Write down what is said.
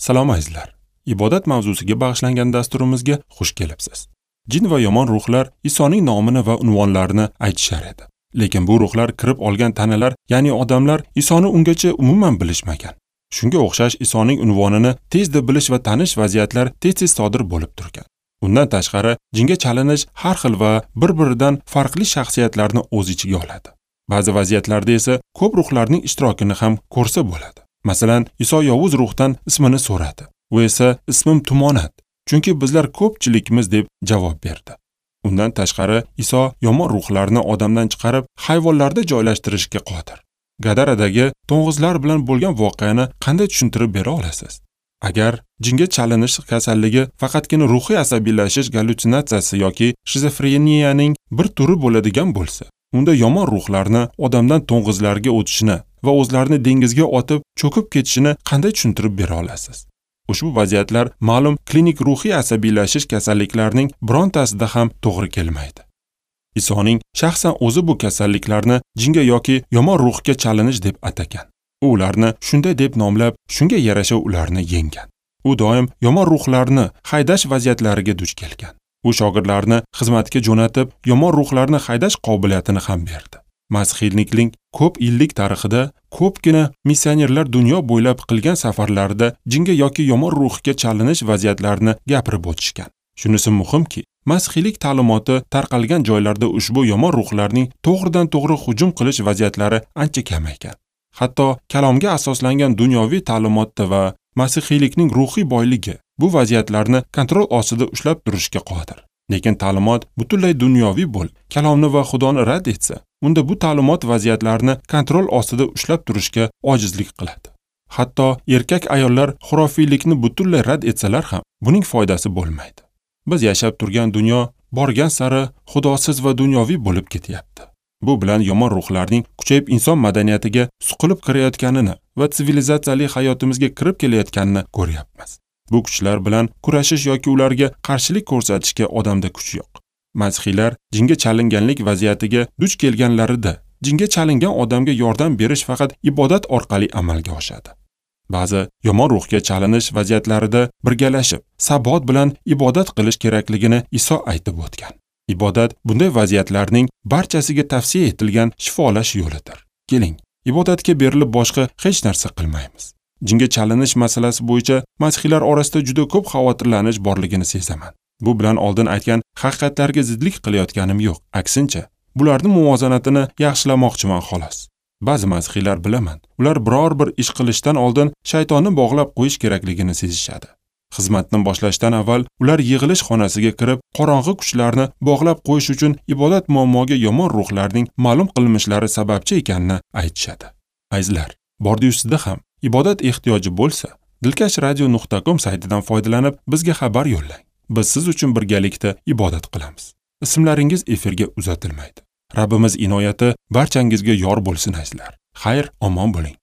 Salom azizlar. Ibodat mavzusiga bag'ishlangan dasturimizga xush kelibsiz. Jin va yomon ruhlar Isoning nomini va unvonlarini aytishar edi. Lekin bu ruhlar kirib olgan tanalar, ya'ni odamlar Isoni ungacha umuman bilishmagan. Shunga o'xshash Isoning unvonini tezda bilish va tanish vaziyatlar tez-tez sodir bo'lib turgan. Undan tashqari, jinga chalinish har xil va bir-biridan farqli shaxsiyatlarni o'z ichiga oladi. Ba'zi vaziyatlarda esa ko'p ruhlarning ishtirokini ham ko'rsa bo'ladi. Masalan, Iso yovuz ruhdan ismini so'radi. U esa ismim Tumonat, chunki bizlar ko'pchilikmiz deb javob berdi. Undan tashqari, Iso yomon ruhlarni odamdan chiqarib, hayvonlarda joylashtirishga qodir. Gadaradagi to'ng'izlar bilan bo'lgan voqeani qanday tushuntirib bera olasiz? Agar jinga chalinish kasalligi faqatgina ruhiy asabiylashish gallyutsinatsiyasi yoki shizofreniyaning bir turi bo'ladigan bo'lsa, unda yomon ruhlarni odamdan to'ng'izlarga o'tishini va o'zlarini dengizga otib cho'kib ketishini qanday tushuntirib bera olasiz? Ushbu vaziyatlar ma'lum klinik ruhiy asabiylashish kasalliklarining birontasida ham to'g'ri kelmaydi. Isoning shaxsan o'zi bu kasalliklarni jinga yoki yomon ruhga chalinish deb atagan. U ularni shunday deb nomlab, shunga yarasha ularni yenggan. U doim yomon ruhlarni haydash vaziyatlariga duch kelgan. U shogirdlarni xizmatga jo'natib, yomon ruhlarni haydash qobiliyatini ham berdi. Masihiylikning ko'p yillik tarixida ko'pgina missionerlar dunyo bo'ylab qilgan safarlarida jinga yoki yomon ruhga chalinish vaziyatlarini gapirib o'tishgan. Shunisi muhimki, masihiylik ta'limoti tarqalgan joylarda ushbu yomon ruhlarning to'g'ridan-to'g'ri hujum qilish vaziyatlari ancha kamaygan. Hatto kalomga asoslangan dunyoviy ta'limotda va masihiylikning ruhiy boyligi bu vaziyatlarni kontrol ostida ushlab turishga qodir. Lekin ta'limot butunlay dunyoviy bo'lib, kalomni va Xudoni rad etsa, unda bu ta'limot vaziyatlarni kontrol ostida ushlab turishga ojizlik qiladi. Hatto erkak ayollar xurofiylikni butunlay rad etsalar ham buning foydasi bo'lmaydi. Biz yashab turgan dunyo borgan sari xudosiz va dunyoviy bo'lib ketyapti. Bu bilan yomon ruhlarning kuchayib inson madaniyatiga suqilib kirayotganini va sivilizatsiyali hayotimizga kirib kelayotganini ko'ryapmiz. Bu kuchlar bilan kurashish yoki ularga qarshilik ko'rsatishga odamda kuch yo'q. Masihiylar jinga chalinganlik vaziyatiga duch kelganlarida jinga chalingan odamga yordam berish faqat ibodat orqali amalga oshadi. Ba'zi yomon ruhga chalinish vaziyatlarida birgalashib, sabot bilan ibodat qilish kerakligini Iso aytib o'tgan. Ibodat bunday vaziyatlarning barchasiga tavsiya etilgan shifolash yo'lidir. Keling, ibodatga berilib boshqa hech narsa qilmaymiz. Jinga chalinish masalasi bo'yicha masihiylar orasida juda ko'p xavotirlanish borligini sezaman. Bu bilan oldin aytgan haqiqatlarga zidlik qilayotganim yo'q. Aksincha, bularning muvozanatini yaxshilamoqchiman xolos. Ba'zi masihiylar bilaman, ular biror bir ish qilishdan oldin shaytonni bog'lab qo'yish kerakligini sezishadi. Xizmatni boshlashdan avval ular yig'ilish xonasiga kirib, qorong'i kuchlarni bog'lab qo'yish uchun ibodat muammoga yomon ruhlarning ma'lum qilmishlari sababchi ekanini aytishadi. Azizlar, bordi ustida ham ibodat ehtiyoji bo'lsa, dilkashradio.com saytidan foydalanib bizga xabar yo'llang. Biz siz uchun birgalikda ibodat qilamiz. Ismlaringiz efirga uzatilmaydi. Rabbimiz inoyati barchangizga yor bo'lsin azizlar. Xayr, omon bo'ling.